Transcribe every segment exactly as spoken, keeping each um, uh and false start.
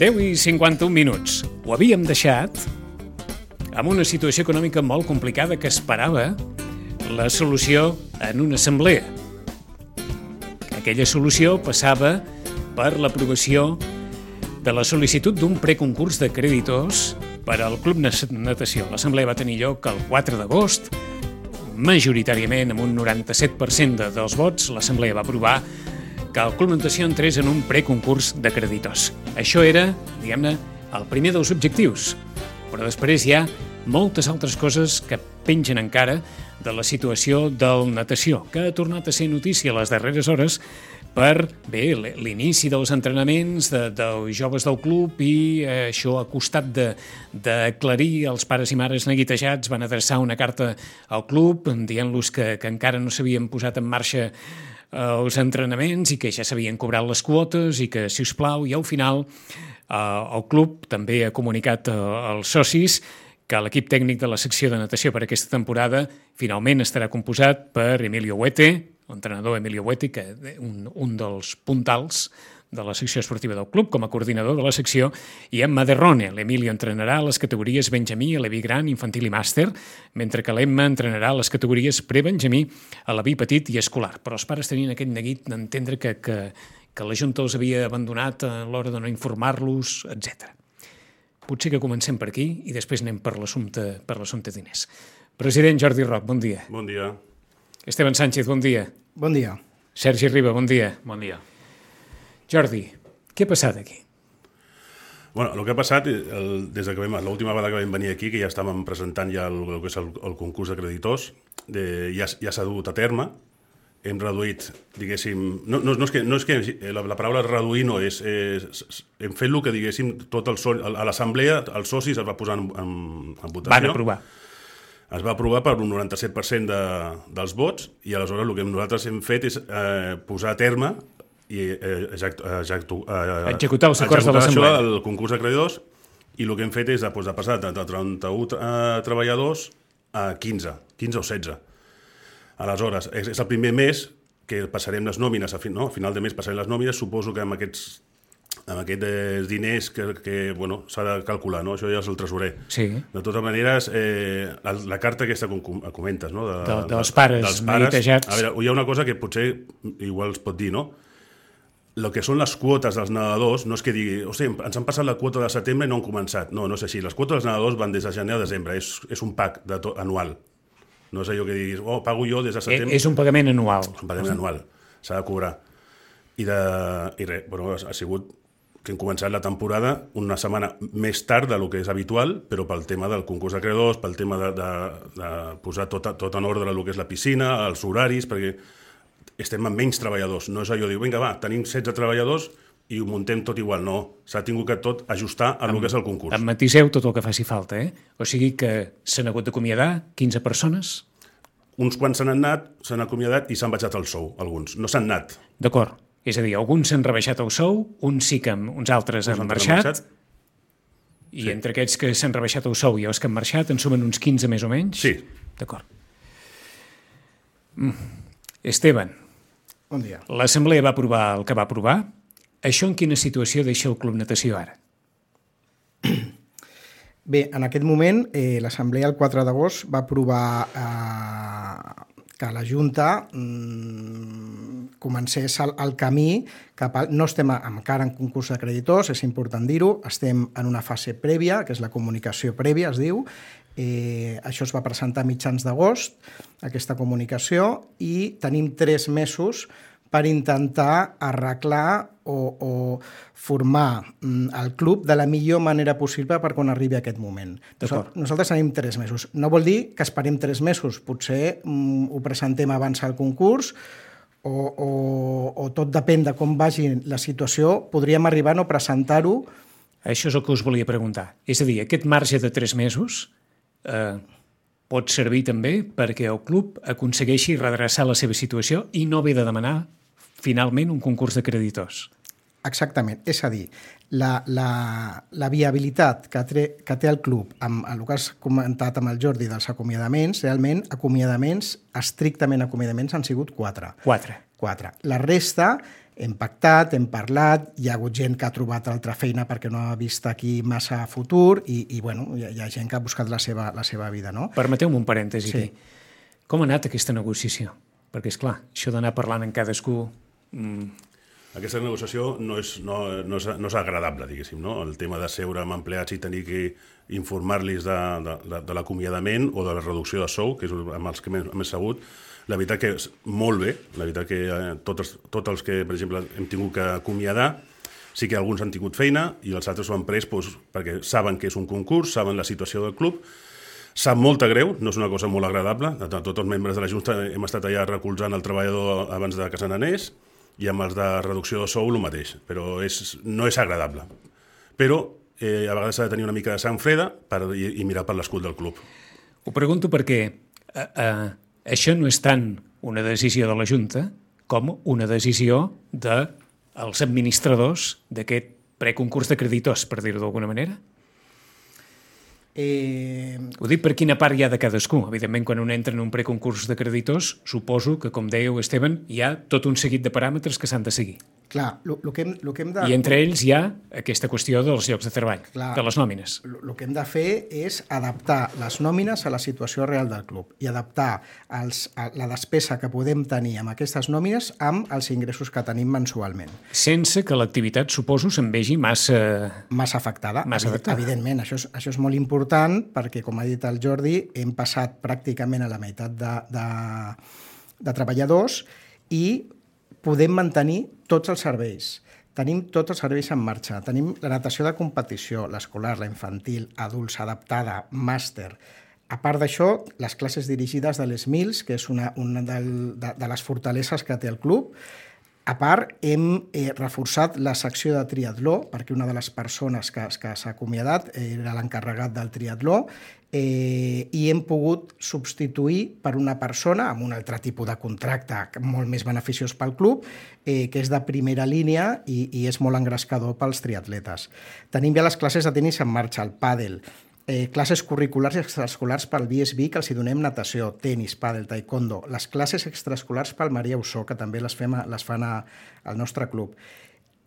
deu i cinquanta-un minuts. Ho havíem deixat amb una situació econòmica molt complicada que esperava la solució en una assemblea. Aquella solució passava per l'aprovació de la sol·licitud d'un preconcurs de creditors per al Club Natació. L'assemblea va tenir lloc el quatre d'agost, majoritàriament amb un noranta-set per cent de, dels vots. L'assemblea va aprovar que el Club Natació entrés en un preconcurs de creditors. Això era, diguem-ne, el primer dels objectius. Però després hi ha moltes altres coses que pengen encara de la situació del natació, que ha tornat a ser notícia a les darreres hores per, bé, l'inici dels entrenaments de, dels joves del club, i eh, això ha costat d'aclarir. Els pares i mares neguitejats van adreçar una carta al club dient-los que, que encara no s'havien posat en marxa eh, els entrenaments i que ja s'havien cobrat les quotes i que, si us plau, i al final eh, el club també ha comunicat eh, als socis que l'equip tècnic de la secció de natació per aquesta temporada finalment estarà composat per Emilio Huete, l'entrenador Emilio Huete, que un, un dels puntals de la secció esportiva del club com a coordinador de la secció, i Emma Derrone. L'Emilio entrenarà les categories Benjamí, Aleví Gran, Infantil i Màster, mentre que l'Emma entrenarà les categories Pre-Benjamí, Aleví Petit i Escolar. Però els pares tenien aquest neguit d'entendre que, que, que la Junta els havia abandonat a l'hora de no informar-los, etcètera. Potser que comencem per aquí i després anem per l'assumpte per l'assumpte diners. President Jordi Roc, bon dia. Bon dia. Esteban Sánchez, bon dia. Bon dia. Sergi Riba, bon dia. Bon dia. Jordi, què ha passat aquí? Bueno, el que ha passat, el, des de que vam, l'última vegada que vam venir aquí, que ja estàvem presentant ja el, el que és el, el concurs de creditors, de, ja, ja s'ha dut a terme. Hem reduït, diguéssim, no, no, no és que, no és que la, la paraula reduir no és, és, hem fet el que, diguéssim, tot el so, a l'assemblea, els socis es va posar en, en, en votació. Van aprovar. Es va aprovar per un noranta-set per cent de, dels vots, i aleshores el que nosaltres hem fet és eh, posar a terme i eh, execu, execu, eh, executar els acords de l'assemblea. El concurs de creditors, i el que hem fet és de, de passar de trenta-un eh, treballadors a quinze, quinze o setze. Aleshores, és, és el primer mes que passarem les nòmines, a, fi, no? a final de mes passarem les nòmines. Suposo que amb aquests, amb aquests diners que, que bueno, s'ha de calcular, no? Això ja és el tresorer. Sí. De totes maneres, eh, la, la carta aquesta que comentes, no? de, de, dels pares, dels pares neguitejats. A veure, hi ha una cosa que potser igual es pot dir, no? El que són les quotes dels nedadors, no és que digui, hosti, ens han passat la quota de setembre i no han començat. No, no és així. Les quotes dels nedadors van des de gener a desembre. És, és un pack de to, anual. No és allò que diguis, oh, pago jo des de setembre... És un pagament anual. Un pagament anual, s'ha de cobrar. I, de, i res, bueno, ha sigut que hem començat la temporada una setmana més tard del que és habitual, però pel tema del concurs de creditors, pel tema de, de, de posar tot, tot en ordre el que és la piscina, els horaris, perquè estem amb menys treballadors. No és allò de dir, vinga, va, tenim setze treballadors i ho muntem tot igual. No, s'ha tingut que tot ajustar a el que és el concurs. Em matiseu tot el que faci falta, eh? O sigui que s'han hagut d'acomiadar quinze persones? Uns quants s'han anat, s'han acomiadat i s'han baixat el sou, alguns. No s'han anat. D'acord. És a dir, alguns s'han rebaixat el sou, uns sí que uns altres han marxat, marxat, i sí. Entre aquests que s'han rebaixat el sou i els que han marxat en sumen uns quinze més o menys? Sí. D'acord. Mm. Esteban. Bon dia. L'assemblea va aprovar el que va aprovar. Això en quina situació deixa el Club Natació ara? Bé, en aquest moment, eh, l'Assemblea el quatre d'agost va aprovar eh, que la Junta mm, comencés el, el camí cap al... No estem encara en concurs de creditors, és important dir-ho, estem en una fase prèvia, que és la comunicació prèvia, es diu. Eh, això es va presentar a mitjans d'agost, aquesta comunicació, i tenim tres mesos per intentar arreglar o, o formar el club de la millor manera possible per quan arribi aquest moment. Nosaltres, nosaltres tenim tres mesos. No vol dir que esperem tres mesos. Potser mm, ho presentem abans al concurs o, o, o tot depèn de com vagi la situació. Podríem arribar a no presentar-ho. Això és el que us volia preguntar. És a dir, aquest marge de tres mesos eh, pot servir també perquè el club aconsegueixi redreçar la seva situació i no haver de demanar finalment un concurs de creditors. Exactament. És a dir, la, la, la viabilitat que té, que té el club amb el que has comentat amb el Jordi dels acomiadaments, realment acomiadaments, estrictament acomiadaments, han sigut quatre. Quatre. Quatre. La resta hem pactat, hem parlat, hi ha hagut gent que ha trobat altra feina perquè no ha vist aquí massa futur i, i bueno, hi ha, hi ha gent que ha buscat la seva, la seva vida, no? Permeteu-me un parèntesi Sí. aquí. Com ha anat aquesta negociació? Perquè, és clar, això d'anar parlant amb cadascú... Mm, Aquesta negociació no és, no, no és, no és agradable, diguéssim, no? El tema de seure amb empleats i tenir que informar-los de, de, de, de l'acomiadament o de la reducció de sou, que és amb els que hem sabut, la veritat que és molt bé, la veritat que eh, tots, tots els que, per exemple, hem tingut que acomiadar, sí que alguns han tingut feina i els altres ho han pres doncs, perquè saben que és un concurs, saben la situació del club, sap molt de greu, no és una cosa molt agradable, tots els membres de la Junta hem estat allà recolzant el treballador abans de que se n'anés, i amb els de reducció de sou el mateix, però és, no és agradable. Però eh, a vegades s'ha de tenir una mica de sang freda per, i, i mirar per l'escut del club. Ho pregunto perquè eh, eh, això no és tant una decisió de la Junta com una decisió dels administradors d'aquest preconcurs de creditors, per dir-ho d'alguna manera. Eh... Ho dic per quina part hi ha de cadascú. Evidentment, quan un entra en un preconcurs de creditors, suposo que, com dèieu, Esteban, hi ha tot un seguit de paràmetres que s'han de seguir. Clar, el que, hem, lo que hem de... I entre ells hi ha aquesta qüestió dels llocs de treball, Clar, de les nòmines. El que hem de fer és adaptar les nòmines a la situació real del club i adaptar els, a la despesa que podem tenir amb aquestes nòmines amb els ingressos que tenim mensualment. Sense que l'activitat, suposo, se'n vegi massa... Massa afectada. Massa afectada. Evidentment, això és, això és molt important perquè, com ha dit el Jordi, hem passat pràcticament a la meitat de, de, de treballadors i podem mantenir tots els serveis. Tenim tots els serveis en marxa. Tenim la natació de competició, l'escolar, la infantil, adults, adaptada, màster. A part d'això, les classes dirigides de les Mils, que és una, una del, de, de les fortaleses que té el club. A part, hem eh, reforçat la secció de triatló, perquè una de les persones que, que s'ha acomiadat era l'encarregat del triatló, eh, i hem pogut substituir per una persona amb un altre tipus de contracte molt més beneficiós pel club, eh, que és de primera línia i, i és molt engrescador pels triatletes. Tenim ja les classes de tenis en marxa, el pàdel, Eh, classes curriculars i extraescolars pel B S B, que els hi donem natació, tenis, pàdel, taekwondo, les classes extraescolars pel Maria Ossó, que també les, fem a, les fan a, al nostre club.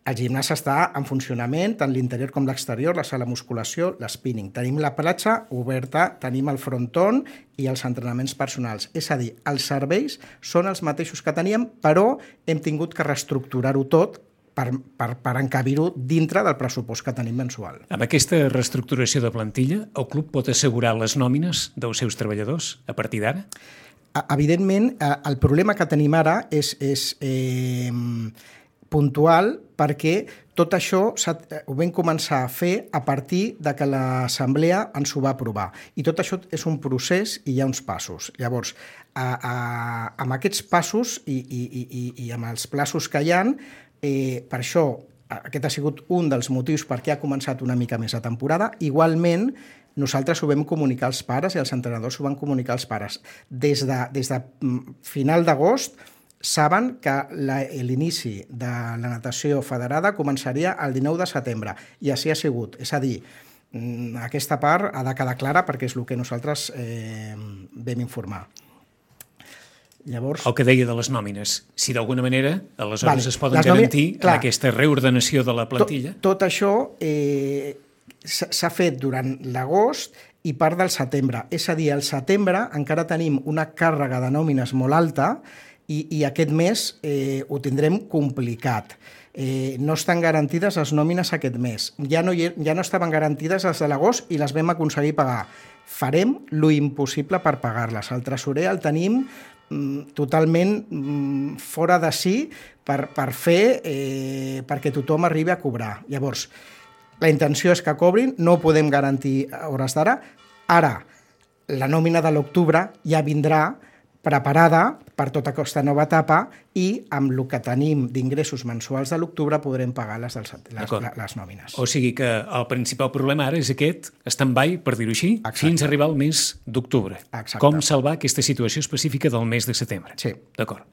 El gimnàs està en funcionament, tant l'interior com l'exterior, la sala musculació, l'spinning. Tenim la platja oberta, tenim el fronton i els entrenaments personals. És a dir, els serveis són els mateixos que teníem, però hem tingut que reestructurar-ho tot per, per, per encabir-ho dintre del pressupost que tenim mensual. Amb aquesta reestructuració de plantilla, el club pot assegurar les nòmines dels seus treballadors a partir d'ara? Evidentment, el problema que tenim ara és, és eh, puntual perquè tot això ho vam començar a fer a partir de que l'Assemblea ens ho va aprovar. I tot això és un procés i hi ha uns passos. Llavors, a, a, amb aquests passos i, i, i, i amb els plaços que hi ha, Eh, per això, aquest ha sigut un dels motius per què ha començat una mica més la temporada. Igualment, nosaltres ho vam comunicar als pares i els entrenadors ho van comunicar als pares. Des de, des de final d'agost saben que l'inici de la natació federada començaria el dinou de setembre i així ha sigut. És a dir, aquesta part ha de quedar clara perquè és el que nosaltres eh, vam informar. Llavors... El que deia de les nòmines. Si d'alguna manera, aleshores vale. es poden les garantir nòmines, clar, en aquesta reordenació de la plantilla? Tot, tot això eh, s'ha fet durant l'agost i part del setembre. És a dir, al setembre encara tenim una càrrega de nòmines molt alta i, i aquest mes eh, ho tindrem complicat. Eh, no estan garantides les nòmines aquest mes. Ja no, hi, ja no estaven garantides les de l'agost i les vam aconseguir pagar. Farem lo impossible per pagar-les. El tresorer el tenim totalment fora de si per, per fer eh, perquè tothom arribi a cobrar. Llavors, la intenció és que cobrin, no podem garantir a hores d'ara. Ara, la nòmina de l'octubre ja vindrà preparada per tota aquesta nova etapa i amb el que tenim d'ingressos mensuals de l'octubre podrem pagar les, les, les, les nòmines. O sigui que el principal problema ara és aquest stand-by, per dir-ho així, exacte, fins a arribar al mes d'octubre. Com salvar aquesta situació específica del mes de setembre. Sí. D'acord.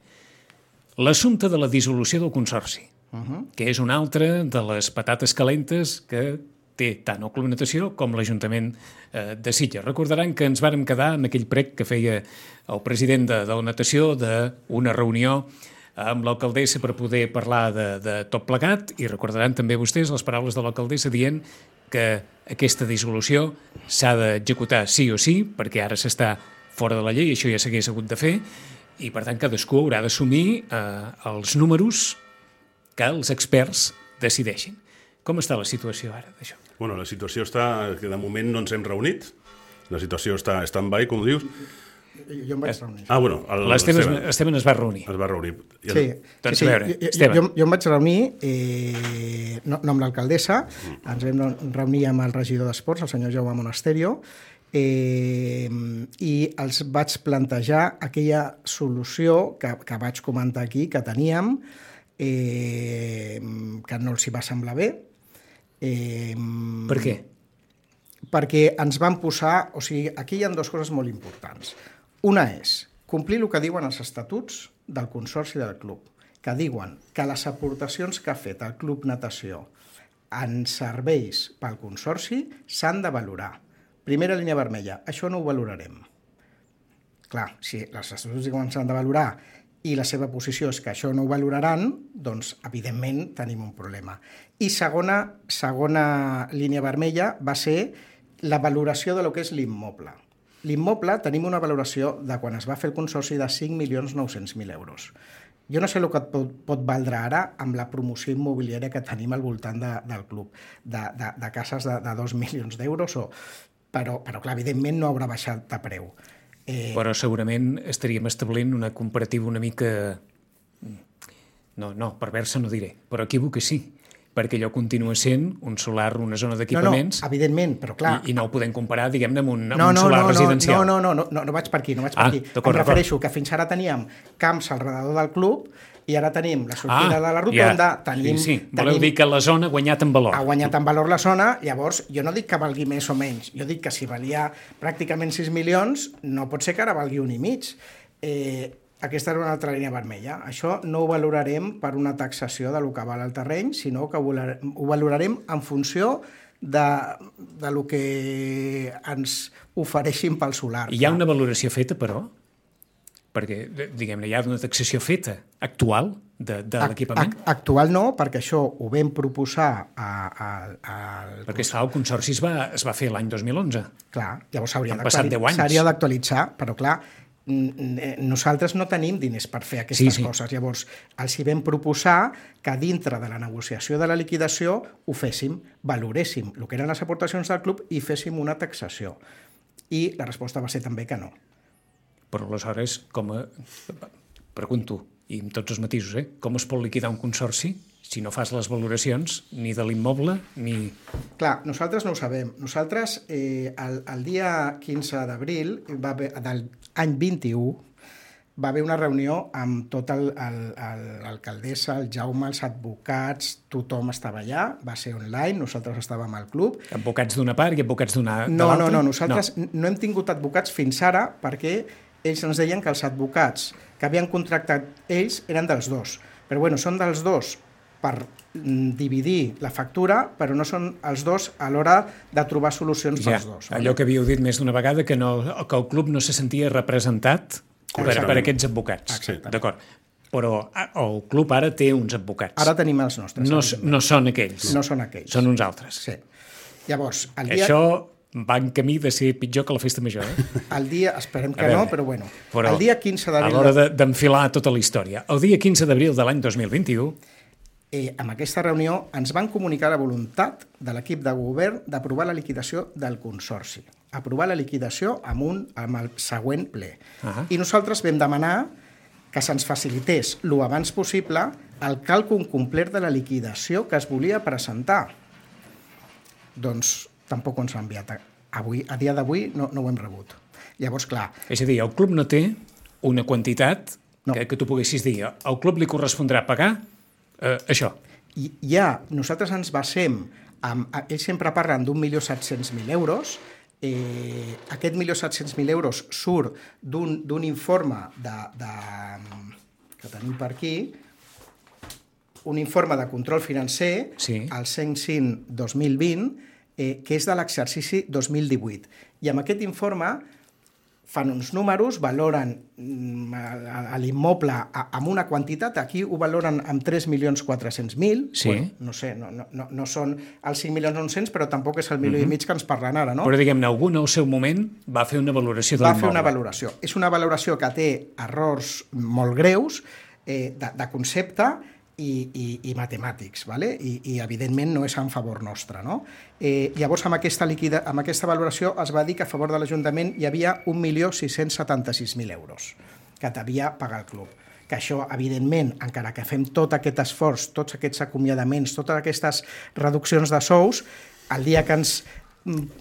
L'assumpte de la dissolució del consorci, uh-huh. que és una altra de les patates calentes que té tant el Club Natació com l'Ajuntament eh, de Sitges. Recordaran que ens vàrem quedar amb aquell prec que feia el president de, de la natació d'una reunió amb l'alcaldessa per poder parlar de, de tot plegat, i recordaran també vostès les paraules de l'alcaldessa dient que aquesta dissolució s'ha d'executar sí o sí, perquè ara s'està fora de la llei, això ja s'hagués hagut de fer, i per tant cadascú haurà d'assumir eh, els números que els experts decideixin. Com està la situació ara d'això? Bueno, la situació està que de moment no ens hem reunit, la situació està stand-by, com dius. Jo em vaig reunir. Ah, bueno, l'Esteban es va reunir. Es va reunir. El... Sí, doncs sí, sí. a veure, jo, Esteban. Jo, jo em vaig reunir, eh, no, no amb l'alcaldessa, mm. ens vam reunir amb el regidor d'Esports, el senyor Jaume Monasterio, eh, i els vaig plantejar aquella solució que, que vaig comentar aquí, que teníem, eh, que no els hi va semblar bé. Eh, per què? Perquè ens van posar... O sigui, aquí hi ha dues coses molt importants. Una és complir el que diuen els estatuts del Consorci del Club, que diuen que les aportacions que ha fet el Club Natació en serveis pel Consorci s'han de valorar. Primera línia vermella, això no ho valorarem. Clar, si els estatuts diuen que s'han de valorar i la seva posició és que això no ho valoraran, doncs, evidentment, tenim un problema. I segona, segona línia vermella va ser la valoració de lo que és l'immoble. L'immoble tenim una valoració de quan es va fer el consorci de cinc milions nou-cents mil euros. Jo no sé el que pot, pot valdre ara amb la promoció immobiliària que tenim al voltant de, del club, de, de, de cases de, de dos milions d'euros, o, però, però clar, evidentment no haurà baixat de preu. Eh... Però segurament estaríem establint una comparativa una mica... No, no, perversa no diré, però equívoc que sí, perquè allò continua sent un solar, una zona d'equipaments... No, no, evidentment, però clar... I, i no ho podem comparar, diguem-ne, amb un, amb no, un no, solar no, residencial. No, no, no, no, no vaig per aquí, no vaig per ah, aquí. Em refereixo que fins ara teníem camps al redador del club i ara tenim la sortida ah, de la rotonda, ja. tenim... Sí, sí. Voleu tenim, dir que la zona ha guanyat en valor. Ha guanyat en valor la zona, llavors jo no dic que valgui més o menys, jo dic que si valia pràcticament sis milions, no pot ser que ara valgui un i mig. Eh, aquesta era una altra línia vermella. Això no ho valorarem per una taxació de lo que val el terreny, sinó que ho valorarem en funció de, de lo que ens ofereixin pel solar. Hi ha una valoració feta, però? Perquè, diguem-ne, hi ha una taxació feta, actual, de, de l'equipament? Actual no, perquè això ho vam proposar a... a, a perquè, esclar, el consorci es va, es va fer l'any dos mil onze. Clar, llavors s'hauria d'actualitzar, però clar, nosaltres no tenim diners per fer aquestes sí, sí. coses. Llavors, els hi vam proposar que dintre de la negociació de la liquidació ho féssim, valoréssim el que eren les aportacions del club i féssim una taxació. I la resposta va ser també que no. Però aleshores, com a... pregunto, i amb tots els matisos, eh? com es pot liquidar un consorci si no fas les valoracions ni de l'immoble ni... Clar, nosaltres no ho sabem. Nosaltres, eh, el, el dia quinze d'abril va haver, del any vint-i-u, va haver una reunió amb tot l'alcaldessa, el, el, el Jaume, els advocats, tothom estava allà, va ser online, nosaltres estàvem al club. Advocats d'una part i advocats d'una de no, l'altra? No, no, nosaltres no. no hem tingut advocats fins ara perquè ells ens deien que els advocats que havien contractat ells eren dels dos. Però bueno, són dels dos per dividir la factura, però no són els dos a l'hora de trobar solucions ja, pels dos. Allò que havíeu dit més d'una vegada, que, no, que el club no se sentia representat per, per aquests advocats. D'acord. Però el club ara té uns advocats. Ara tenim els nostres. No, no són aquells. No són aquells. Són uns altres. Sí. Llavors, el dia... Això va en camí de ser pitjor que la festa major. Eh? El dia, esperem que veure, no, però bueno. Però el dia quinze d'abril... A l'hora d'enfilar de, tota la història. El dia quinze d'abril de l'any dos mil vint-i-u... Eh, amb aquesta reunió ens van comunicar la voluntat de l'equip de govern d'aprovar la liquidació del consorci. Aprovar la liquidació amb, un, amb el següent ple. Uh -huh. I nosaltres vam demanar que se'ns facilités lo abans possible el càlcul complet de la liquidació que es volia presentar. Doncs tampoc ens l'ha enviat. Avui, a dia d'avui no, no ho hem rebut. Llavors, clar... És a dir, el club no té una quantitat no. que, que tu poguessis dir al club li correspondrà pagar Uh, això. I ja, nosaltres ens basem, amb, ells sempre parlen d'un milió set-cents mil euros, eh, aquest milió set-cents mil euros surt d'un informe de, de, que tenim per aquí, un informe de control financer, sí. el cent cinc dos mil vint, eh, que és de l'exercici dos mil divuit. I amb aquest informe fan uns números, valoren l'immoble amb una quantitat, aquí ho valoren amb tres milions quatre-cents mil, sí. bueno, no sé, no, no, no són els cinc milions nou-cents, però tampoc és el milió uh-huh. i mig que ens parlen ara, no? Però, diguem-ne, algú al seu moment va fer una valoració de l'immoble. Va l'immoble. fer una valoració. És una valoració que té errors molt greus eh, de, de concepte i, i, i matemàtics, ¿vale? I, i evidentment no és en favor nostre, no? Eh, llavors, amb aquesta, liquida, amb aquesta valoració es va dir que a favor de l'Ajuntament hi havia un milió sis-cents setanta-sis mil euros que devia pagar el club. Que això, evidentment, encara que fem tot aquest esforç, tots aquests acomiadaments, totes aquestes reduccions de sous, el dia que ens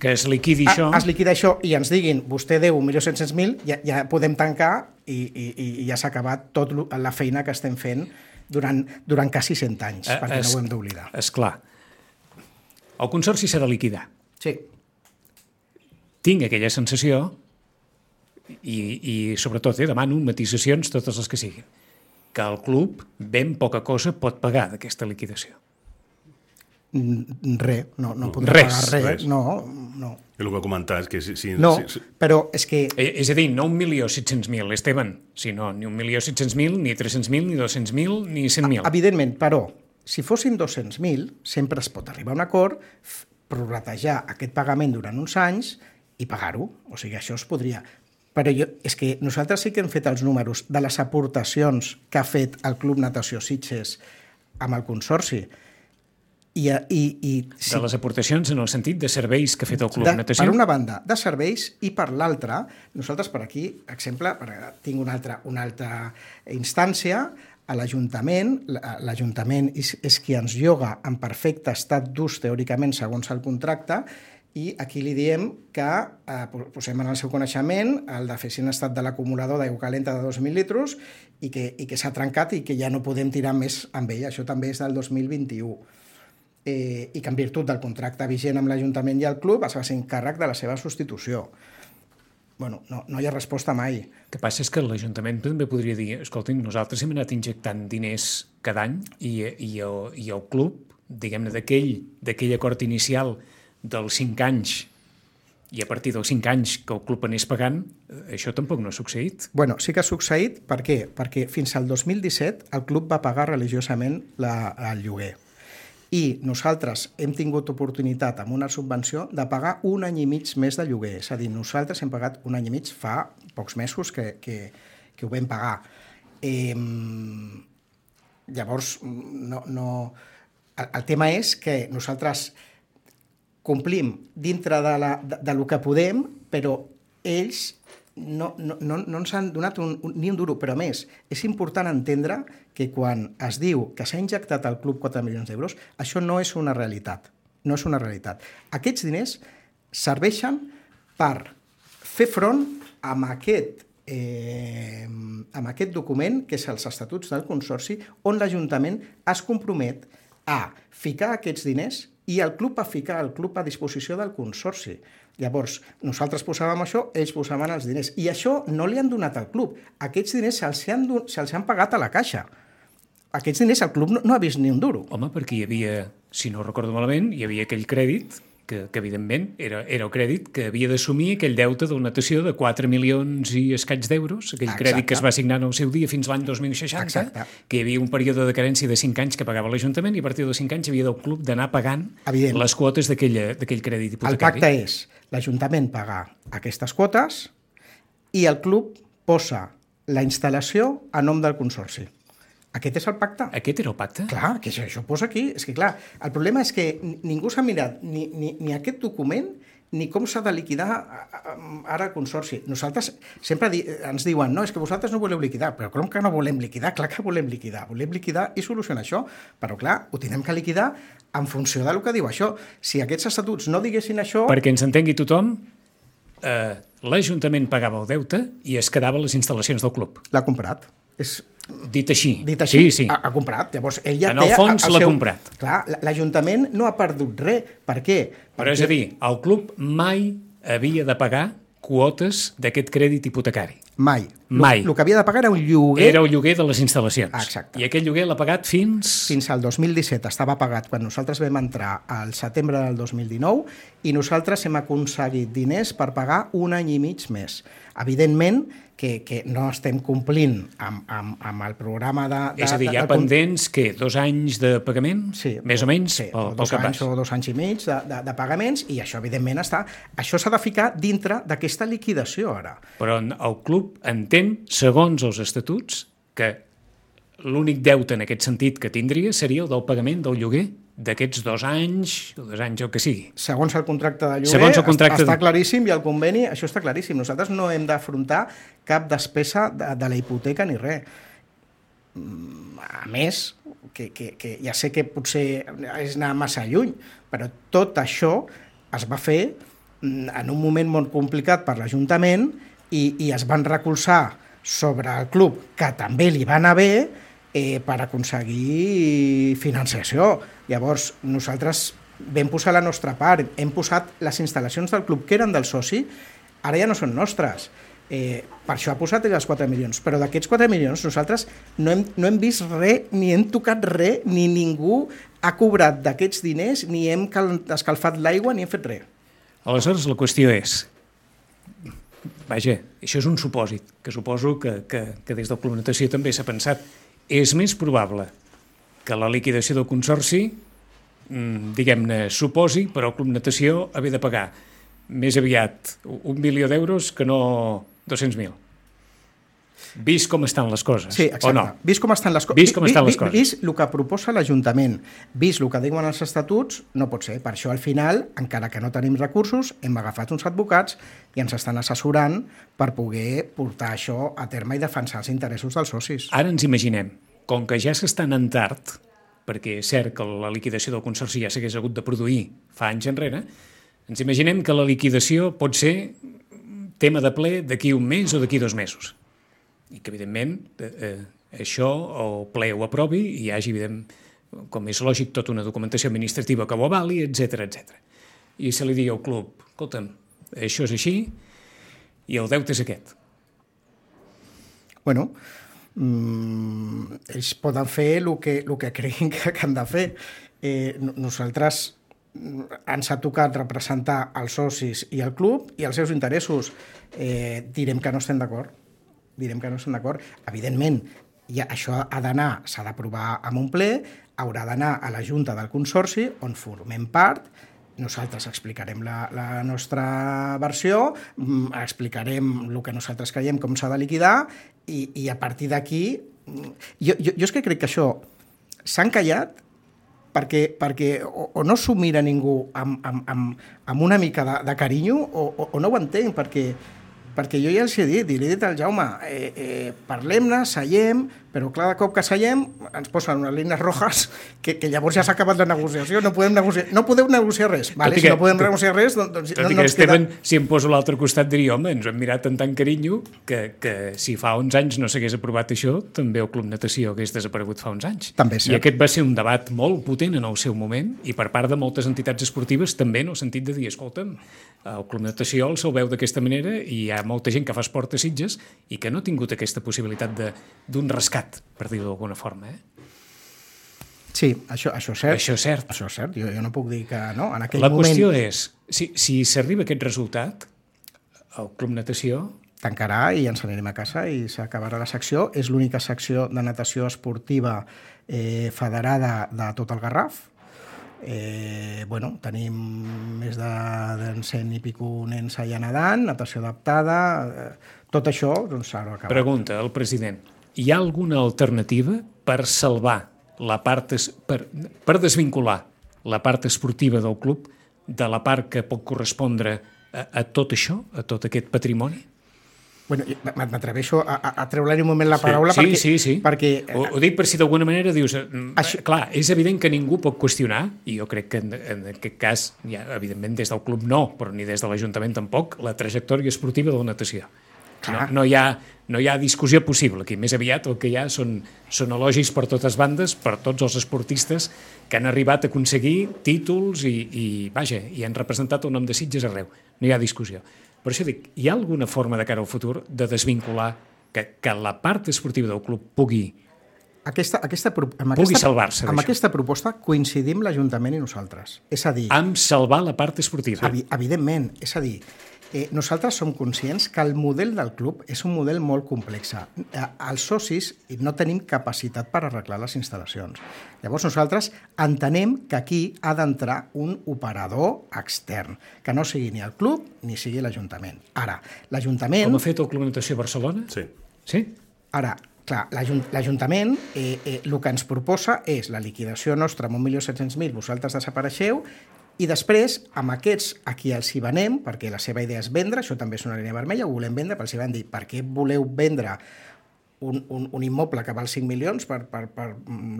que es liquidi això... Es liquida això i ens diguin vostè deu un milió set-cents mil, ja, ja podem tancar i, i, i ja s'ha acabat tota la feina que estem fent durant, durant quasi cent anys, es, perquè no ho hem d'oblidar. Esclar. El Consorci s'ha de liquidar. Sí. Tinc aquella sensació i, i sobretot eh, demano matisacions totes les que siguin, que el club ben poca cosa pot pagar d'aquesta liquidació. Res, no, no podrà res, pagar res. res. No, no. El que comentar és que... Si, si, no, si, però és que... És a dir, no un milió set-cents mil, Esteban, sinó ni un milió set-cents mil, ni tres-cents mil, ni dos-cents mil, ni cent mil. Evidentment, però, si fossin dos-cents mil, sempre es pot arribar a un acord, prorratejar aquest pagament durant uns anys i pagar-ho. O sigui, això es podria... Però jo, és que nosaltres sí que hem fet els números de les aportacions que ha fet el Club Natació Sitges amb el Consorci. I, i, i, sí. De les aportacions en el sentit de serveis que ha fet el Club de, Natació? Per una banda, de serveis, i per l'altra, nosaltres per aquí, exemple, tinc una altra, una altra instància, a l'Ajuntament, l'Ajuntament és, és qui ens lloga en perfecte estat d'ús, teòricament, segons el contracte, i aquí li diem que eh, posem en el seu coneixement el de fer en estat de l'acumulador d'aigua calenta de dos mil litres i que, i que s'ha trencat i que ja no podem tirar més amb ell. Això també és del dos mil vint-i-u. Eh, i que en virtut del contracte vigent amb l'Ajuntament i el club es va ser encàrrec de la seva substitució. Bueno, no, no hi ha resposta mai. El que passa és que l'Ajuntament també podria dir escoltin, nosaltres hem anat injectant diners cada any i, i, el, i el club, diguem-ne, d'aquell d'aquell acord inicial dels cinc anys i a partir dels cinc anys que el club anés pagant, això tampoc no ha succeït. Bueno, sí que ha succeït. Per què? Perquè fins al dos mil disset el club va pagar religiosament la, el lloguer. I nosaltres hem tingut oportunitat amb una subvenció de pagar un any i mig més de lloguer. És a dir, nosaltres hem pagat un any i mig fa pocs mesos que, que, que ho vam pagar. Eh, llavors, no, no... El, el tema és que nosaltres complim dintre de, la, de, de lo que podem, però ells no, no, no, no ens han donat un, un, ni un duro, però a més, és important entendre que quan es diu que s'ha injectat al club quatre milions d'euros, això no és una realitat. No és una realitat. Aquests diners serveixen per fer front amb aquest, eh, amb aquest document, que és els estatuts del Consorci, on l'Ajuntament es compromet a ficar aquests diners i el club a ficar el club a disposició del Consorci. Llavors, nosaltres posàvem això, ells posaven els diners. I això no li han donat al club. Aquests diners se'ls han, se han pagat a la caixa. Aquests diners el club no, no ha vist ni un duro. Home, perquè hi havia, si no recordo malament, hi havia aquell crèdit, que, que evidentment era, era el crèdit que havia d'assumir aquell deute del natació de quatre milions i escaig d'euros, aquell Exacte. Crèdit que es va assignar en el seu dia fins l'any dos mil seixanta, Exacte. Que hi havia un període de carència de cinc anys que pagava l'Ajuntament i a partir dels cinc anys havia del club d'anar pagant Evident. Les quotes d'aquell crèdit hipotecari. El pacte és l'Ajuntament pagar aquestes quotes i el club posa la instal·lació a nom del Consorci. Aquest és el pacte. Aquest era el pacte? Clar, que això, això ho posa aquí. És que, clar, el problema és que ningú s'ha mirat ni, ni, ni aquest document ni com s'ha de liquidar ara el Consorci. Nosaltres sempre di, ens diuen no, és que vosaltres no voleu liquidar, però com que no volem liquidar? Clar que volem liquidar. Volem liquidar i solucionar això, però clar, ho tenim que liquidar en funció del que diu això. Si aquests estatuts no diguessin això... Perquè ens entengui tothom, eh, l'Ajuntament pagava el deute i es quedava les instal·lacions del club. L'ha comprat. És... Dit així. Dit així, sí, sí. Ha, ha comprat. Llavors, ell ja en el fons l'ha seu... comprat. Clar, l'Ajuntament no ha perdut res. Per què? Però Perquè... és a dir, el club mai havia de pagar quotes d'aquest crèdit hipotecari. Mai. Mai. El que havia de pagar era un lloguer... Era el lloguer de les instal·lacions. Exacte. I aquest lloguer l'ha pagat fins... Fins al dos mil disset estava pagat quan nosaltres vam entrar al setembre del dos mil dinou i nosaltres hem aconseguit diners per pagar un any i mig més. Evidentment que, que no estem complint amb, amb, amb el programa de... de És a dir, hi ha de, de, pendents, què, dos anys de pagament? Sí, més o menys? Sí, pel, o dos pel anys o dos anys i mig de, de, de pagaments i això, evidentment, està... Això s'ha de ficar dintre d'aquesta liquidació, ara. Però el club entén, segons els estatuts, que l'únic deute en aquest sentit que tindria seria el del pagament del lloguer d'aquests dos anys, o dos anys, el que sigui. Segons el contracte de lloguer, Segons el contracte està de... claríssim i el conveni, això està claríssim. Nosaltres no hem d'afrontar cap despesa de, de la hipoteca ni res. A més, que, que, que ja sé que potser és anar massa lluny, però tot això es va fer en un moment molt complicat per l'Ajuntament i, i es van recolzar sobre el club, que també li va anar bé, eh, per aconseguir financiació. Llavors, nosaltres vam posar la nostra part, hem posat les instal·lacions del club que eren del soci, ara ja no són nostres. Eh, per això ha posat els quatre milions, però d'aquests quatre milions nosaltres no hem, no hem vist res, ni hem tocat res, ni ningú ha cobrat d'aquests diners, ni hem escalfat l'aigua, ni hem fet res. Aleshores, la qüestió és... Vaja, això és un supòsit, que suposo que, que, que des del Club Natació també s'ha pensat. És més probable que la liquidació del consorci, diguem-ne, suposi, però el Club Natació haver de pagar més aviat un milió d'euros que no dos-cents mil. Vist com estan les coses, sí, exacte. O no? Vist com estan les, co vist com estan vi, les coses. Vist el que proposa l'Ajuntament, vist el que diuen els estatuts, no pot ser. Per això, al final, encara que no tenim recursos, hem agafat uns advocats i ens estan assessorant per poder portar això a terme i defensar els interessos dels socis. Ara ens imaginem, com que ja s'està anant tard, perquè és cert que la liquidació del consorci ja s'hagués hagut de produir fa anys enrere, ens imaginem que la liquidació pot ser tema de ple d'aquí un mes o d'aquí dos mesos. I que, evidentment, eh, això el ple ho aprovi i hi hagi, evident, com és lògic, tota una documentació administrativa que ho avali, etcètera, etcètera. I se li digui al club, escolta'm, això és així i el deute és aquest. Bueno, mmm, ells poden fer el que, el que creguin que, que han de fer. Eh, nosaltres ens ha tocat representar els socis i el club i els seus interessos. Eh, direm que no estem d'acord. direm que no estem d'acord. Evidentment, ja, això ha d'anar, s'ha d'aprovar amb un ple, haurà d'anar a la Junta del Consorci, on formem part, nosaltres explicarem la, la nostra versió, explicarem el que nosaltres creiem, com s'ha de liquidar, i, i a partir d'aquí... Jo, jo, jo és que crec que això s'han callat perquè, perquè o, o no s'ho mira ningú amb, amb, amb, amb una mica de, de carinyo o, o, o no ho entenc, perquè... perquè jo ja els he dit, i li he dit al Jaume, eh, eh, parlem-ne, seiem, però clar, de cop que seiem, ens posen unes línies rojas que, que llavors ja s'ha acabat la negociació, no podem negociar, no podeu negociar res, vale? Si no podem tot, negociar res, doncs, doncs tot no, no no ens queda... Esteban, si em poso a l'altre costat, diria, home, ens hem mirat amb tant carinyo que, que si fa uns anys no s'hagués aprovat això, també el Club Natació hagués desaparegut fa uns anys. També és cert. I aquest va ser un debat molt potent en el seu moment i per part de moltes entitats esportives també en el sentit de dir, escolta'm, el Club Natació el se'l veu d'aquesta manera i hi ha molta gent que fa esport a Sitges i que no ha tingut aquesta possibilitat d'un rescat, per dir-ho d'alguna forma. Eh? Sí, això, això és cert. Això és cert. Això és cert. Jo, jo no puc dir que no. En aquell La moment... qüestió és, si, si s'arriba a aquest resultat, el Club Natació... tancarà i ens anirem a casa i s'acabarà la secció. És l'única secció de natació esportiva eh, federada de tot el Garraf. Eh, bueno, tenim més de, de cent i pico nens allà nedant, natació adaptada, eh, tot això doncs s'ha acabat. Pregunta al president, hi ha alguna alternativa per salvar la part, es, per, per desvincular la part esportiva del club de la part que pot correspondre a, a tot això, a tot aquest patrimoni? Bueno, m'atreveixo a, a, a treure-li un moment la paraula sí, perquè... Sí, sí, perquè, ho, ho dic per si d'alguna manera dius... Això... Clar, és evident que ningú pot qüestionar, i jo crec que en, en aquest cas, ja, evidentment des del club no, però ni des de l'Ajuntament tampoc, la trajectòria esportiva de la natació. No, no, hi ha, no hi ha discussió possible aquí. Més aviat el que hi ha són, són elogis per totes bandes, per tots els esportistes que han arribat a aconseguir títols i, i, vaja, i han representat el nom de Sitges arreu. No hi ha discussió. Per això dic, hi ha alguna forma de cara al futur de desvincular que, que la part esportiva del club pugui Aquesta, aquesta, amb pugui aquesta, salvar-se amb d'això? aquesta proposta coincidim l'Ajuntament i nosaltres. És a dir, Amb salvar la part esportiva. evi- evidentment, és a dir, eh, nosaltres som conscients que el model del club és un model molt complex. Eh, els socis no tenim capacitat per arreglar les instal·lacions. Llavors nosaltres entenem que aquí ha d'entrar un operador extern, que no sigui ni el club ni sigui l'Ajuntament. Ara, l'Ajuntament... Com ha fet el Club Natació Barcelona? Sí. Sí? Ara, clar, l'Ajuntament eh, eh, el que ens proposa és la liquidació nostra amb un milió set-cents mil, vosaltres desapareixeu, i després, amb aquests a qui els hi venem, perquè la seva idea és vendre, això també és una línia vermella, ho volem vendre, però els hi van dir, per què voleu vendre un, un, un immoble que val cinc milions per, per, per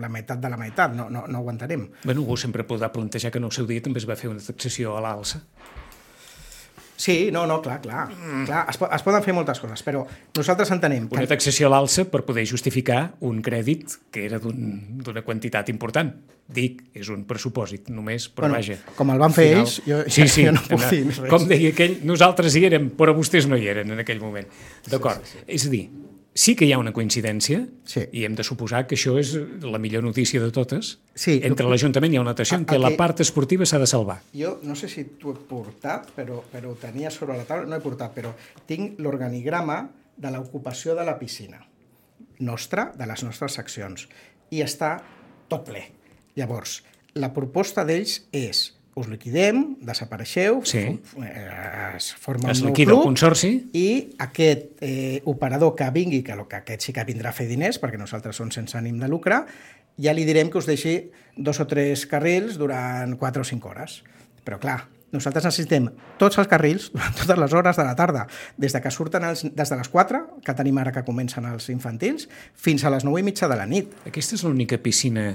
la meitat de la meitat? No, no, no ho entenem. Bueno, algú sempre podrà plantejar que en el seu dia també es va fer una taxació a l'alça. Sí, no, no, clar, clar. Mm. clar es, po es poden fer moltes coses, però nosaltres entenem que... Una taxació a l'alça per poder justificar un crèdit que era d'una un, quantitat important. Dic, és un pressupòsit només, però bueno, vaja. Com el van fer final... ells, jo, sí, sí, jo no puc dir res. Com deia aquell, nosaltres hi érem, però vostès no hi eren en aquell moment. D'acord, sí, sí, sí. És a dir, sí que hi ha una coincidència, sí. i hem de suposar que això és la millor notícia de totes. Sí, Entre l'Ajuntament i el Natació, en què aquí, la part esportiva s'ha de salvar. Jo no sé si t'ho he portat, però, però ho tenia sobre la taula, no he portat, però tinc l'organigrama de l'ocupació de la piscina nostra, de les nostres seccions, i està tot ple. Llavors, la proposta d'ells és us liquidem, desapareixeu, sí. es forma es un nou liquida club el consorci i aquest eh, operador que vingui, que, que aquest sí que vindrà a fer diners, perquè nosaltres som sense ànim de lucre, ja li direm que us deixi dos o tres carrils durant quatre o cinc hores. Però clar, nosaltres necessitem tots els carrils durant totes les hores de la tarda, des de que surten els, des de les quatre, que tenim ara que comencen els infantils, fins a les nou i mitja de la nit. Aquesta és l'única piscina,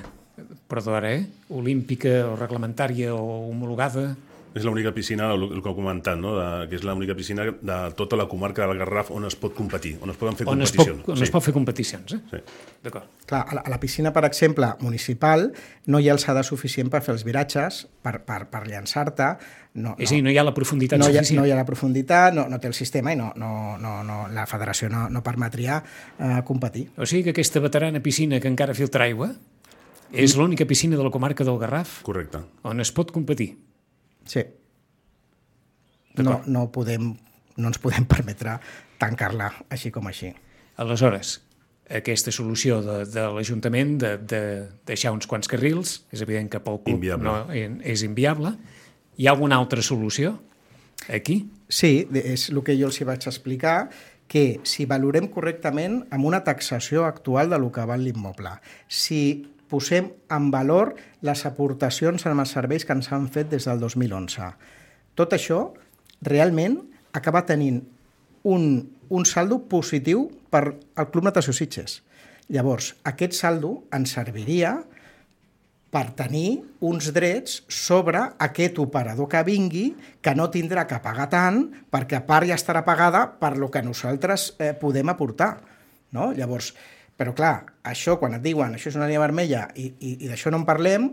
perdó ara, eh? olímpica o reglamentària o homologada? És l'única piscina, el que he comentat, no? de, que és l'única piscina de tota la comarca del Garraf on es pot competir, on es poden fer on competicions. Es pot, on sí. es pot fer competicions, eh? Sí. D'acord. Clar, a la, a la piscina, per exemple, municipal, no hi ha alçada suficient per fer els viratges, per, per, per llançar-te. No, és no, a dir, no hi ha la profunditat no hi ha, suficient. No hi ha la profunditat, no, no té el sistema i no, no, no, no, la federació no, no permetria eh, competir. O sigui que aquesta veterana piscina que encara filtra aigua és mm. l'única piscina de la comarca del Garraf Correcte. on es pot competir. Sí. No, no, podem, no ens podem permetre tancar-la així com així. Aleshores, aquesta solució de, de l'Ajuntament de, de deixar uns quants carrils, és evident que pel club inviable. no, és inviable. Hi ha alguna altra solució aquí? Sí, és el que jo els hi vaig explicar, que si valorem correctament amb una taxació actual de lo que val l'immoble, si posem en valor les aportacions en els serveis que ens han fet des del dos mil onze, tot això realment acaba tenint un, un saldo positiu per al Club Natació Sitges. Llavors, aquest saldo ens serviria per tenir uns drets sobre aquest operador que vingui, que no tindrà que pagar tant, perquè a part ja estarà pagada per lo que nosaltres eh, podem aportar. No? Llavors, però clar, això, quan et diuen això és una línia vermella i, i, i d'això no en parlem,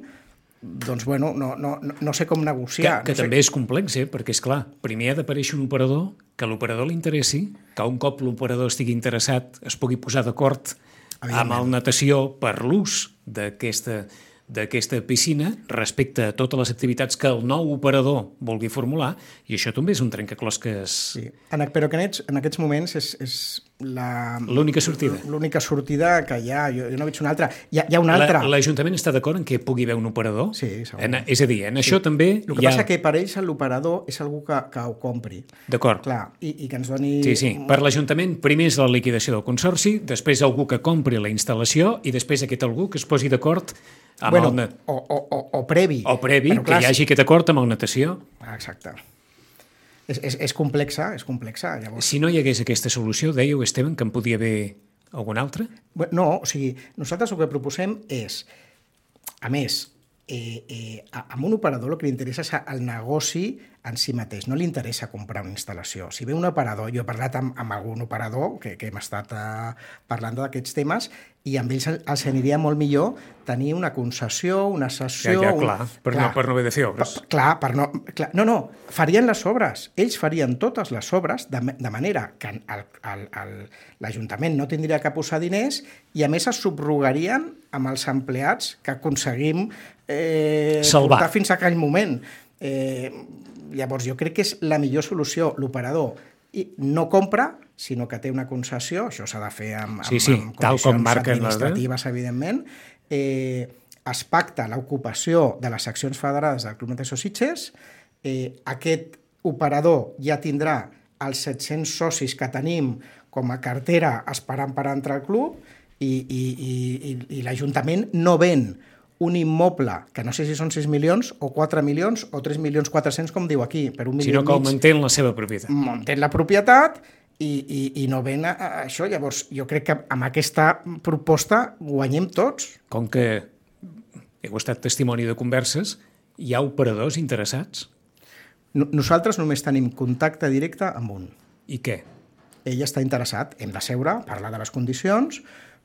doncs, bueno, no, no, no sé com negociar. Que, que no també sé. és complex, eh? Perquè, és clar, primer ha d'aparèixer un operador, que l'operador li interessi, que un cop l'operador estigui interessat es pugui posar d'acord amb el Natació per l'ús d'aquesta d'aquesta piscina respecte a totes les activitats que el nou operador vulgui formular, i això també és un trencaclosques... Sí. En, però que en, aquests, en aquests moments és, és la... l'única sortida. L'única sortida que hi ha, jo, jo no veig una altra. Hi ha, hi ha una altra. L'Ajuntament està d'acord en que pugui haver un operador? Sí, segur. En, és a dir, en sí. això també El que hi ha... passa que per ells l'operador és algú que, que ho compri. D'acord. Clar, i, i que ens doni... Sí, sí. Per l'Ajuntament primer és la liquidació del consorci, després algú que compri la instal·lació i després aquest algú que es posi d'acord amb bueno, el... o, o, o, o previ. O previ, però, clar, que hi hagi aquest acord amb el Natació. Exacte. És, és, és complexa, és complexa. Llavors... Si no hi hagués aquesta solució, dèieu, Esteban, que en podia haver alguna altra? No, o sigui, nosaltres el que proposem és, a més, eh, eh, amb un operador el que li interessa és el negoci en si mateix no li interessa comprar una instal·lació. Si ve un operador, jo he parlat amb, amb algun operador que, que hem estat eh, parlant d'aquests temes, i amb ells els aniria molt millor tenir una concessió, una cessió... Ja, ja, clar, un... per, clar, no, per no haver de fer obres. Per, clar, per no... Clar, no, no, farien les obres. Ells farien totes les obres de, de manera que l'Ajuntament no tindria que posar diners i, a més, es subrogarien amb els empleats que aconseguim eh, portar fins a aquell moment. Eh, llavors, jo crec que és la millor solució. L'operador no compra, sinó que té una concessió, això s'ha de fer amb, sí, sí, amb, amb tal com marquen administratives, evidentment. Eh, es pacta l'ocupació de les seccions federades del Club Natació Sitges. Eh, aquest operador ja tindrà els set-cents socis que tenim com a cartera esperant per entrar al club i, i, i, i l'Ajuntament no ven un immoble, que no sé si són sis milions o quatre milions o tres milions quatre-cents, com diu aquí, per un milió i mig. Sinó que augmenten la seva propietat. Augmenten la propietat i, i, i no ven a, a això. Llavors, jo crec que amb aquesta proposta guanyem tots. Com que heu estat testimoni de converses, hi ha operadors interessats? Nosaltres només tenim contacte directe amb un. I què? Ell està interessat, hem de seure, parlar de les condicions,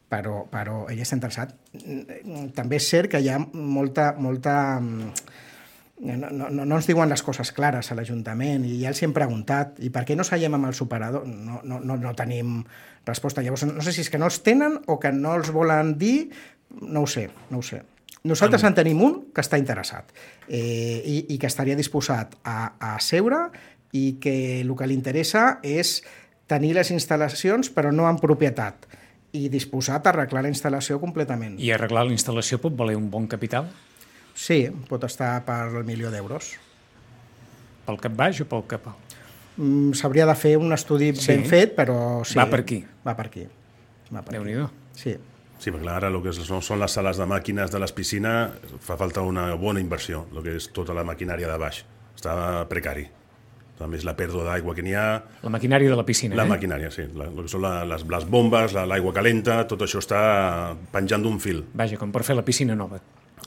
però, però ell està interessat. També és cert que hi ha molta... molta no, no, no ens diuen les coses clares a l'Ajuntament i ja els hem preguntat i per què no seiem amb els operadors? No, no, no, no tenim resposta. Llavors, no sé si és que no els tenen o que no els volen dir, no ho sé, no ho sé. Nosaltres en tenim un que està interessat eh, i, i que estaria disposat a, a seure i que el que li interessa és tenir les instal·lacions però no en propietat i disposat a arreglar la instal·lació completament. I arreglar la instal·lació pot valer un bon capital? Sí, pot estar per el milió d'euros. Pel cap baix o pel cap alt? Mm, s'hauria de fer un estudi sí. ben fet, però sí. Va per aquí? Va per aquí. Va per Déu-n'hi-do. Sí. Sí, perquè ara el que són les sales de màquines de les piscines fa falta una bona inversió, el que és tota la maquinària de baix. Està precari. A més, la pèrdua d'aigua que n'hi ha... La maquinària de la piscina, la eh? La maquinària, sí. La, el que són la, les, les bombes, l'aigua calenta, tot això està penjant d'un fil. Vaja, com per fer la piscina nova.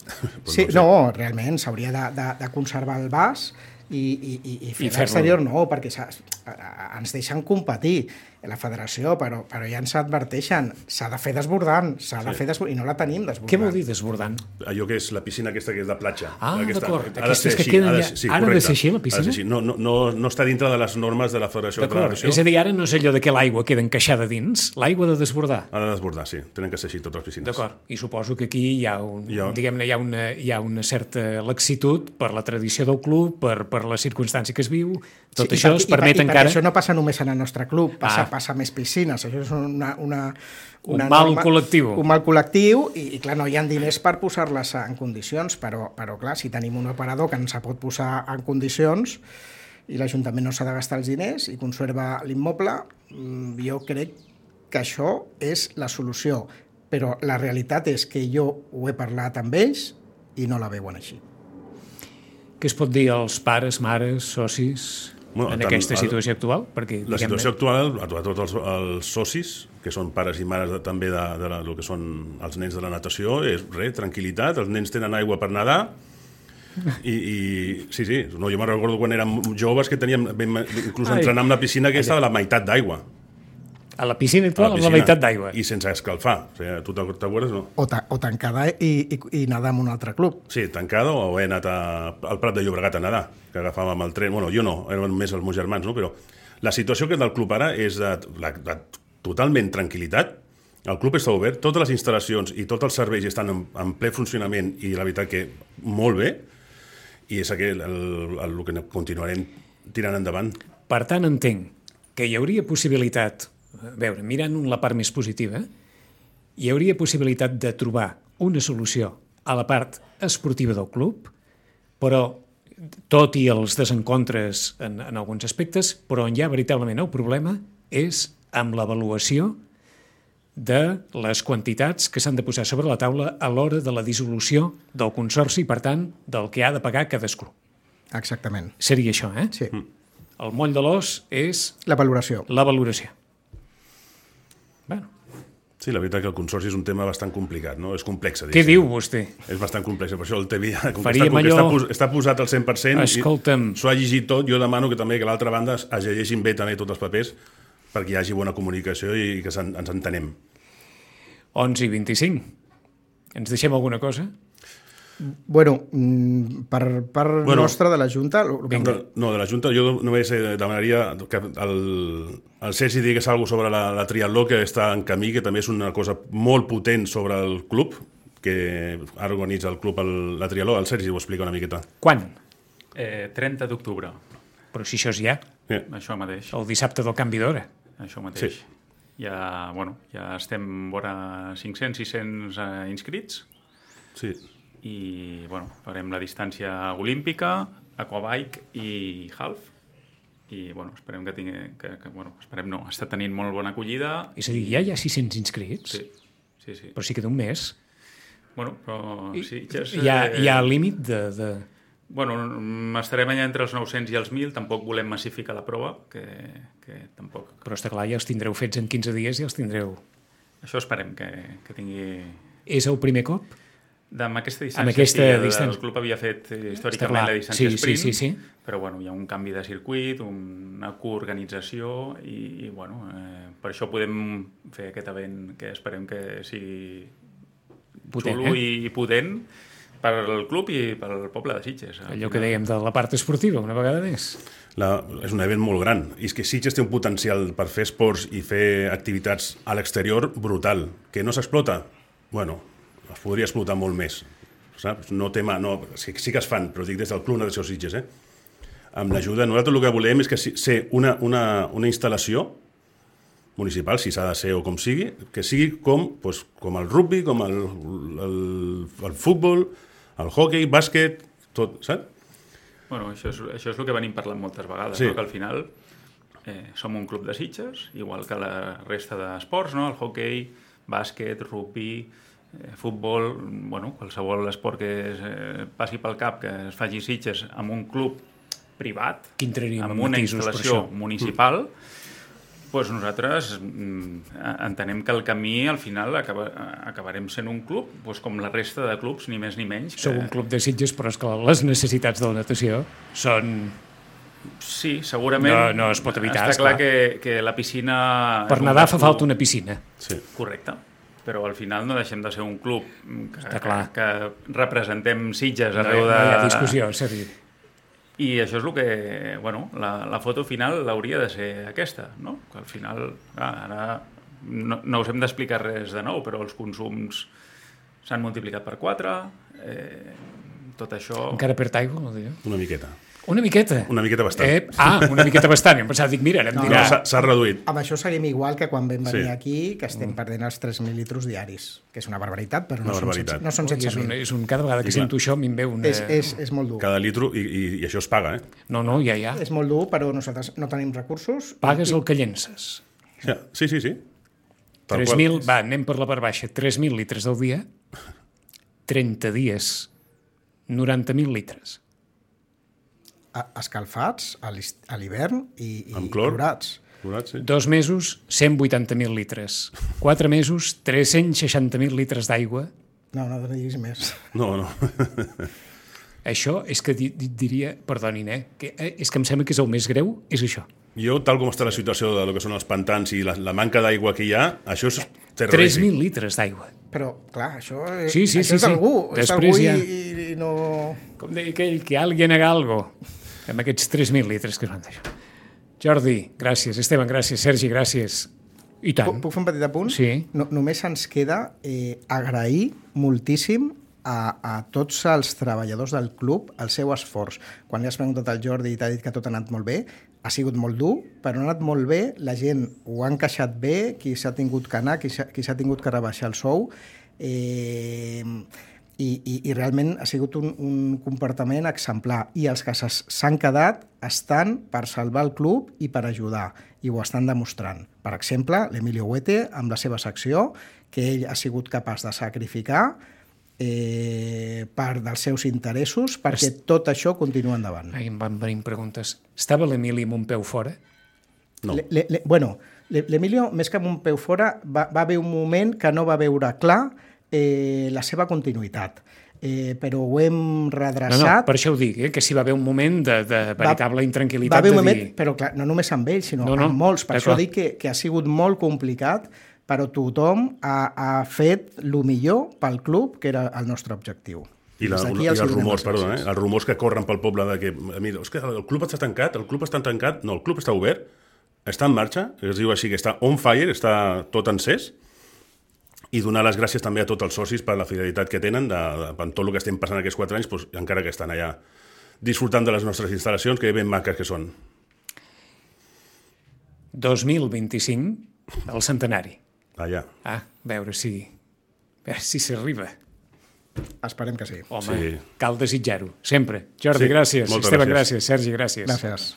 Pues sí, no, no, realment s'hauria de, de, de conservar el vas i, i, i fer l'exterior no, perquè ens deixen competir la federació, però, però ja ens adverteixen, s'ha de fer desbordant, s'ha de sí. fer desbordant, i no la tenim desbordant. Què vol dir desbordant? Allò que és la piscina aquesta que és de platja. Ah, d'acord. Aquestes que queden ja... Sí, ara ha de ser així, la piscina? Sí. No, no, no, no està dintre de les normes de la Federació de Federació. És a dir, ara no és allò de que l'aigua queda encaixada dins, l'aigua ha de desbordar. Ha de desbordar, sí. Tenen que ser així totes les piscines. D'acord. I suposo que aquí hi ha, un, jo... diguem-ne, hi ha, una, hi ha una certa laxitud per la tradició del club, per, per la circumstància que es viu, tot sí, això per, es permet i per, encara... I això no passa només en el nostre club, passa, ah. passa més piscines. Això és una, una, una un mal norma, col·lectiu. Un mal col·lectiu i, i clar, no hi ha diners per posar-les en condicions, però, però clar, si tenim un operador que ens pot posar en condicions i l'Ajuntament no s'ha de gastar els diners i conserva l'immoble, jo crec que això és la solució. Però la realitat és que jo ho he parlat amb ells i no la veuen així. Què es pot dir als pares, mares, socis... Bueno, en aquesta situació actual? Perquè, la situació actual, a tots els, els socis, que són pares i mares de, també de, de, de lo que són els nens de la natació, és res, tranquil·litat, els nens tenen aigua per nedar, i, i sí, sí, no, jo me'n recordo quan érem joves que teníem, inclús entrenant amb la piscina aquesta de la meitat d'aigua. A la piscina actual, amb la meitat d'aigua. I sense escalfar. O sigui, tu t'acuerdes, no? O, ta o tancada i, i, i nedar en un altre club. Sí, tancada, o he anat a, al Prat de Llobregat a nedar, que agafàvem el tren. Bueno, jo no, eren més els meus germans, no? Però la situació que és del club ara és de, de, de totalment tranquil·litat. El club està obert, totes les instal·lacions i tots els serveis estan en, en ple funcionament i la veritat que molt bé, i és aquell, el, el, el que continuarem tirant endavant. Per tant, entenc que hi hauria possibilitat, a veure, mirant la part més positiva, hi hauria possibilitat de trobar una solució a la part esportiva del club, però tot i els desencontres en, en alguns aspectes, però on hi ha veritablement el problema és amb l'avaluació de les quantitats que s'han de posar sobre la taula a l'hora de la dissolució del consorci i, per tant, del que ha de pagar cadascú. Exactament. Seria això, eh? Sí. El moll de l'os és... La valoració. La valoració. Bueno, Sí, la veritat que el consorci és un tema bastant complicat, no? És complex. Què diu vostè? És bastant complex, per això el T V I, com que Faríem està, com que allò- està, pos- està posat al cent per cent, Escolta'm. s'ho ha llegit tot, jo demano que també que l'altra banda es es llegeixin bé també tots els papers perquè hi hagi bona comunicació i que s'en- ens entenem. onze i vint-i-cinc. Ens deixem alguna cosa? Bueno, mm, per part Bueno, nostra de la Junta... lo- lo que- De, no, de la Junta jo només eh, demanaria que el, el Sergi digués alguna cosa sobre la, la triatló que està en camí, que també és una cosa molt potent sobre el club, que ara organitza el club el, la triatló. El Sergi ho explica una miqueta. Quan? Eh, trenta d'octubre, Però si això és ja, Eh, això mateix. el dissabte del canvi d'hora. Això mateix. Sí. Ja, bueno, ja estem vora cinc-cents sis cents eh, inscrits sí. i bueno, farem la distància olímpica, aquabike i half. I bueno, esperem que tingui... Que, que, bueno, esperem no, està tenint molt bona acollida. És a dir, ja hi ha sis-cents inscrits, Sí, sí, sí. però sí que d'un mes. Bueno, però sí, ja és, Hi ha, eh, hi ha límit de, de... Bueno, estarem allà entre els nou-cents i els mil, tampoc volem massificar la prova, que, que tampoc... Però està clar, ja els tindreu fets en quinze dies i els tindreu... Això esperem que, que tingui... És el primer cop? Amb aquesta distància, Amb aquesta sí, el, distància. el club havia fet eh, Està històricament clar. la distància Sí, sí, sprint, sí, sí. però bueno, hi ha un canvi de circuit, una coorganització i, i bueno, eh, per això podem fer aquest event que esperem que sigui Potent, xulo eh? i potent per al club i pel poble de Sitges. Al Allò que final. dèiem de la part esportiva, una vegada més. La, és un event molt gran. I és que Sitges té un potencial per fer esports i fer activitats a l'exterior brutal. Que no s'explota? Bueno, es podria explotar molt més. Saps? No tema, no, sí, sí que es fan, però dic des del Club Natació Sitges. Eh? Amb l'ajuda, nosaltres el que volem és que ser una, una, una instal·lació municipal, si s'ha de ser o com sigui, que sigui com, doncs, com el rugby, com el, el, el futbol, el hockey, bàsquet, tot, saps? Bueno, això és, això és el que venim parlant moltes vegades, Sí. no? Que al final eh, som un club de Sitges, igual que la resta d'esports, no? El hockey, bàsquet, rugby, eh, futbol, bueno, qualsevol esport que es, eh, passi pel cap, que es faci a Sitges amb un club privat, Que entraríem en amb una matisos per instal·lació això. municipal, doncs nosaltres mm, entenem que el camí al final acaba, acabarem sent un club doncs com la resta de clubs, ni més ni menys. Sou que- un club de Sitges, però és que les necessitats de la natació són... Sí, segurament. No- no es pot evitar, Està clar esclar. que, que la piscina... Per és un nedar fa gasto falta una piscina. Sí. Correcte. Però al final no deixem de ser un club que, Està clar. que, que representem Sitges No, hi- arreu de... no hi ha discussió, Sergi. I això és el que... Bueno, la, la foto final hauria de ser aquesta, no? Que al final, clar, ara no, no us hem d'explicar res de nou, però els consums s'han multiplicat per quatre, eh, tot això... Encara perd aigua, no diu? Una miqueta. Una miqueta? Una miqueta bastant. Eh? Ah, una miqueta bastant. Em pensava, dic, mira, ara em No, No, dirà... s'ha s'ha reduït. Amb això seguim igual que quan vam venir Sí. aquí, que estem perdent els tres mil litros diaris, que és una barbaritat, però no, Una són, barbaritat. setze- no són Ui, és, setze un, mil. és un, cada vegada que I clar. sento això m'hi ve una... És, és, és molt dur. Cada litro, i, i, i això es paga, eh? No, no, ja, ja. És molt dur, però nosaltres no tenim recursos. Pagues el que llences. Ja, sí, sí, sí. Tal tres qual. mil, va, anem per la part baixa. tres mil litres al dia, trenta dies, noranta mil litres. A- Escalfats a l'hist- a l'hivern i, i Amb clor? clorats. Clorat, sí. Dos mesos, cent vuitanta mil litres. Quatre mesos, tres-cents seixanta mil litres d'aigua. No, no, no diguis més. No, no. Això és que di, di, diria, perdonin, eh, que, eh, és que em sembla que és el més greu, és això. Jo, tal com està la situació de lo que són els pantans i la, la manca d'aigua que hi ha, això és tres terrorífic. mil litres d'aigua. Però, clar, això, eh, Sí, sí, això sí, és sí. d'algú. És Després d'algú ja- i, i, i no... Com deia aquell, que alguien haga algo. Amb aquests tres mil litres que es van deixar. Jordi, gràcies. Esteban, gràcies. Sergi, gràcies. I tant. Puc, puc fer un petit apunt? Sí. No, només ens queda eh, agrair moltíssim a, a tots els treballadors del club el seu esforç. Quan li has preguntat al Jordi i t'ha dit que tot ha anat molt bé, ha sigut molt dur, però ha anat molt bé, la gent ho ha encaixat bé, qui s'ha tingut que anar, qui s'ha qui s'ha tingut que rebaixar el sou, eh, i, i, i realment ha sigut un, un comportament exemplar. I els que s'es- s'han quedat estan per salvar el club i per ajudar, i ho estan demostrant. Per exemple, l'Emilio Huete, amb la seva secció, que ell ha sigut capaç de sacrificar eh, part dels seus interessos perquè tot això continua endavant. Ai, em van venir preguntes. Estava l'Emili amb un peu fora? No. Le, le, le, bueno, L'Emilio, més que amb un peu fora, va, va haver un moment que no va veure clar eh, la seva continuïtat. Eh, però ho hem redreçat. No, no, per això ho dic, eh, que si va haver un moment de, de veritable va, intranquil·litat. Va haver un de moment, dir... però clar, no només amb ell, sinó no, no, amb molts. Per això clar. dic que, que ha sigut molt complicat, però tothom ha, ha fet el millor pel club, que era el nostre objectiu. I, la, i els rumors, perdó, eh? els rumors que corren pel poble de que, mira, és que el club està tancat, el club està tancat, no, el club està obert, està en marxa, es diu així que està on fire, està tot encès, i donar les gràcies també a tots els socis per la fidelitat que tenen de, de, per tot el que estem passant aquests quatre anys, doncs, encara que estan allà disfrutant de les nostres instal·lacions, que ben maques que són. dos mil vint-i-cinc, el centenari. Allà. Ah, a veure si, a veure si s'arriba. Esperem que sí. Home, sí. Cal desitjar-ho, sempre. Jordi, sí, gràcies. Esteban, gràcies. gràcies. Sergi, gràcies. Gràcies.